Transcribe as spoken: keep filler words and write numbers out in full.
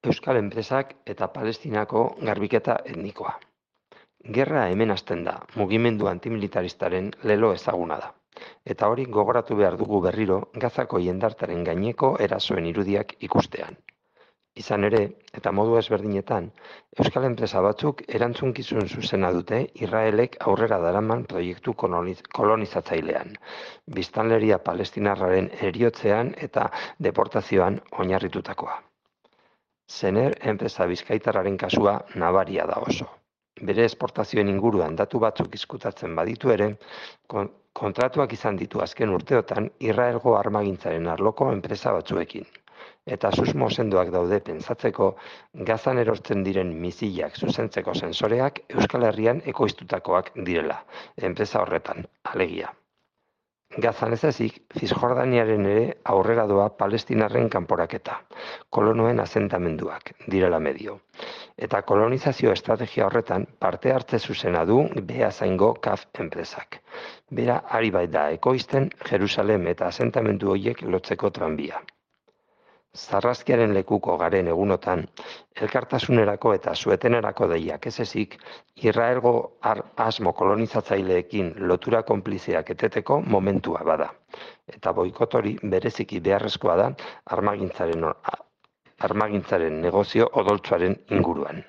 Euskal enpresak eta Palestinako garbiketa etnikoa. Gerra hemen hasten da, mugimendu antimilitaristaren lelo ezaguna da. Eta hori gogoratu behar dugu berriro Gazako jendartaren gaineko erasoen irudiak ikustean. Izan ere, eta modu ezberdinetan, Euskal enpresa batzuk erantzunkizun zuzena dute Israelek aurrera daraman proiektu koloniz- kolonizatzailean, biztanleria palestinarraren heriotzean eta deportazioan oinarritutakoa. Zener enpresa bizkaitarraren kasua nabaria da oso. Bere esportazioen inguruan datu batzuk izkutatzen baditu ere, kon- kontratuak izan ditu azken urteotan Israelgo armagintzaren arloko enpresa batzuekin. Eta susmo sendoak daude pentsatzeko Gazan erortzen diren misilak zuzentzeko sensoreak Euskal Herrian ekoiztutakoak direla, enpresa horretan, alegia. Gazan ez ezik, Cisjordaniaren ere aurrera doa Palestinarren kanporaketa, kolonoen asentamenduak, direla medio. Eta kolonizazio estrategia horretan parte hartze zuzena du Beasaingo K A F enpresak. Bera ari bait da ekoizten Jerusalem eta asentamendu horiek lotzeko tranbia. Sarraskiaren lekuko garen egunotan, elkartasunerako eta suetenerako deiak ez ezik, Israelgo ar asmo kolonizatzaileekin lotura konplizeak eteteko momentua bada. Eta boikot hori bereziki beharrezkoa da armagintzaren, armagintzaren negozio odoltsuaren inguruan.